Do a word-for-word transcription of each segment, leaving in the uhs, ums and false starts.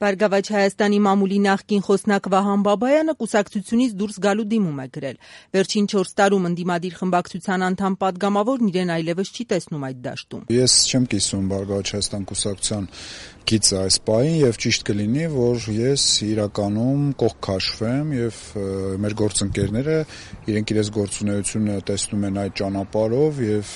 Բարգավաճ Հայաստանի մամուլի նախկին խոսնակ Վահան Բաբայանը կուսակցությունից դուրս գալու դիմում է գրել։ Վերջին չորս տարում ընդդիմադիր խմբակցության անդամ պատգամավորն իրեն այլևս չի տեսնում այդ դաշտում։ Ես չեմ կիսում Բարգավաճ Հայաստան կուսակցության գիծը այս պահին եւ ճիշտ կլինի, որ ես իրականում կողք քաշվեմ եւ մեր գործընկերները իրենք իրենց գործունեությունը տեսնում են այդ ճանապարհով եւ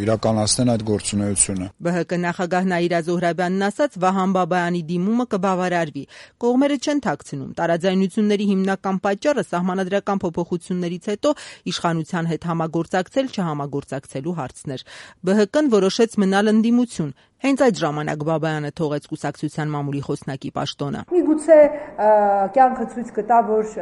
իրականացնեն այդ գործունեությունը։ ԲՀԿ նախագահ Նաիրա Զոհրաբյանն ասաց, Վահան Բաբայանի դիմումը կբավարարվի։ Կողմերը չեն թաքցնում։ Տարաձայնությունների հիմնական պատճառը սահմանադրական փոփոխություններից հետո իշխանության հետ համագործակցել չհամագործակցելու հարցն էր։ ԲՀԿ-ն որոշեց մնալ ընդդիմություն։ Հենց այդ ժամանակ Բաբայանը թողեց կուսակցության մամուլի խոսնակի պաշտոնը։ Միգուցե կյանքը ցույց կտա, որ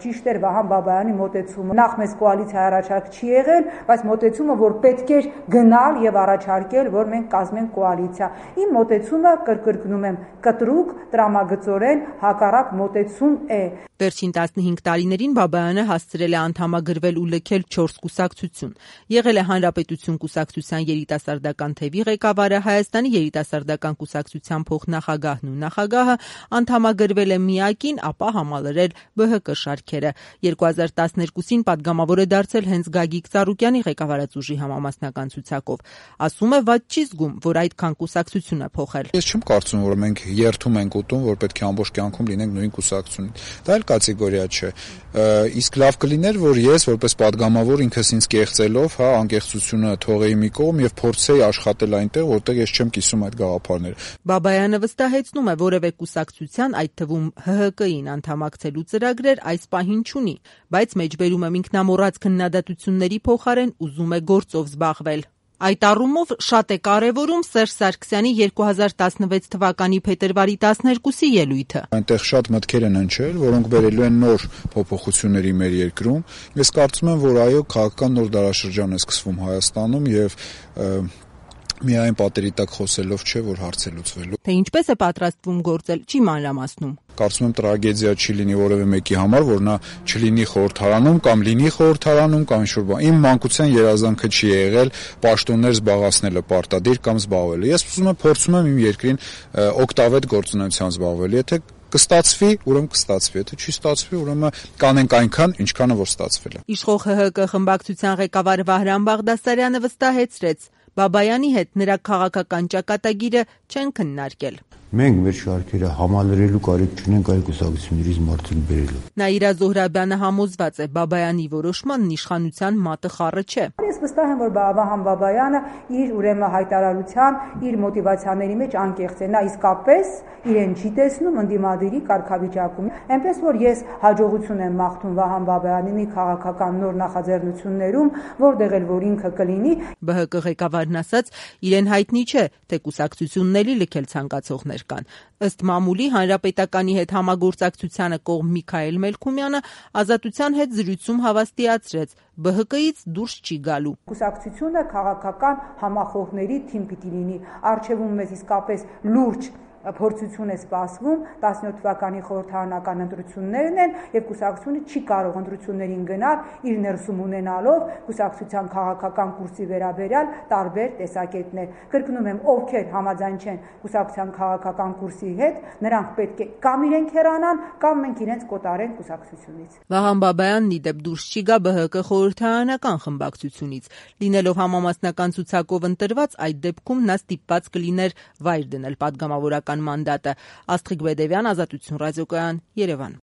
ճիշտ էր Վահան Բաբայանի մոտեցումը։ Նախ մեզ կոալիցիա առաջարկ չի եղել, բայց մոտեցումը, որ պետք էր գնալ եւ առաջարկել, որ մենք կազմենք կոալիցիա։ Իմ մոտեցումը, կրկնում եմ, կտրուկ, տրամագծորեն հակառակ մոտեցում է։ Վերջին տասնհինգ տարիներին Բաբայանը հասցրել է անդամագրվել ու լքել չորս կուսակցություն։ Եղել է Հանրապետություն կուսակցության երիտասարդական թևի ղեկավարը, Հայաստանի երիտասարդական կուսակցության փոխնախագահն ու նախագահը, անդամագրվել է ՄԻԱԿ-ին, ապա համալրել ԲՀԿ շարքերը։ երկու հազար տասներկուսին պատգամավոր է դարձել հենց Գագիկ Ծառուկյանի ղեկավարած ուժի համամասնական ցուցակով։ Ասում է, վատ չի զգում, որ այդքան կուսակցություն է փոխել։ Ես չեմ կարծում, որ մենք երթում ենք ուտում, որ պետք է ամբողջ կյանքում լինենք նույն կուսակցությունից։ Դա էլ կատեգորիա չէ։ Իսկ լավ կլիներ, որ ես որպես պատգամավոր ինքս ինձ կեղծելով, հա, անկեղծությունը թողեի մի կողմ եւ փորձեի աշխատել այնտեղ, որտեղ ես չեմ կիսում այդ գաղափարները։ Բաբայանը վստահեցնում է, որևէ կուսակցության, այդ թվում ՀՀԿ-ին անդամակցելու ծրագրեր այս պահին չունի, բայց մեջբերում է ինքնամոռաց քննադատությունների փոխարեն ուզում է գործով զբաղվել։ Այդ առումով շատ է կարևորում Սերժ Սարգսյանի երկու հազար տասնվեց թվականի փետրվարի տասներկուսի ելույթը։ Այնտեղ շատ մտքեր են հնչել, որոնք բերելու են նոր փոփոխությունների մեր երկրում։ Ես կարծում եմ, որ այո, քաղաքական նոր դարաշրջան է սկսվում Հայաստանում եւ միայն պատերի տակ խոսելով չէ, որ հարց է լուծվելու։ Թե ինչպես է պատրաստվում գործել, չի մանրամասնում։ Կարծում եմ տրագեդիա չի լինի որևէ մեկի համար, որ նա չլինի խորհրդարանում կամ լինի խորհրդարանում կամ ինչ-որ բան։ Իմ մանկության երազանքը չի եղել պաշտոններ զբաղացնելը պարտադիր կամ զբաղվելը։ Ես ուզում եմ փորձում եմ իմ երկրին օգտավետ գործունեությամբ զբաղվել։ Եթե կստացվի, ուրեմն կստացվի, եթե չի ստացվի, ուրեմն կանենք այնքան, ինչքանը որ ստացվել է։ Իշխող ՀՀԿ խմբակցության ղեկավար Վահրամ Բաղդասարյանը վստահեցրեց, Բաբայանի հետ նրա քաղաքական ճակատագիրը չեն քննարկել։ Մենք մեր շարքերը համալրելու կարիք չունենք այլ կուսակցություններից մարդիկ բերելու։ Նաիրա Զոհրաբյանը համոզված է, Բաբայանի որոշմանն իշխանության մատը խառը չէ։ Ես վստահ եմ, որ Վահան Բաբայանը իր ուրեմն հայտարարության, իր մոտիվացիաների մեջ անկեղծ է։ Նա իսկապես իրեն չի տեսնում ընդդիմադիրի կարգավիճակում։ Այնպես որ ես հաջողություն եմ մաղթում Վահան Բաբայանին քաղաքական նոր նախաձեռնություններում, որտեղ էլ որ ինքը կլինի։ ԲՀԿ ղեկավարն ասաց, իրեն հայտնի չէ, թե կուսակցությունների լքել ցանկացողներ կան։ Ըստ մամուլի Հանրապետականի հետ համագործակցությանը կողմ Միքայել Մելքումյանը Ազատության հետ զրույցում հավաստիացրեց, ԲՀԿ-ից դուրս չի գալու։ Կուսակցությունը քաղաքական համախոհների թիմ պիտի լինի։ Առջևում մեզ իսկապես լուրջ փորձություն է սպասվում, տասնյոթ թվականի խորհրդարանական ընտրություններն են եւ կուսակցությունը չի կարող ընտրություններին գնալ իր ներսում ունենալով կուսակցության քաղաքական կուրսի վերաբերյալ տարբեր տեսակետներ։ Կրկնում եմ, ովքեր համաձայն չեն կուսակցության քաղաքական կուրսի հետ, նրանք պետք է կամ իրենք հեռանան, կամ մենք իրենց կոտարենք կուսակցությունից։ Վահան Բաբայանն ի դեպ դուրս չի գա ԲՀԿ խորհրդարանական խմբակցությունից։ Լինելով համամասնական ցուցակով ընտրված, այդ դեպքում նա ստիպված կլիներ վայր դնել պատգամավորական մանդատը։ Աստղիկ Բեդևյան, Ազատություն ռադիոկայան, Երևան։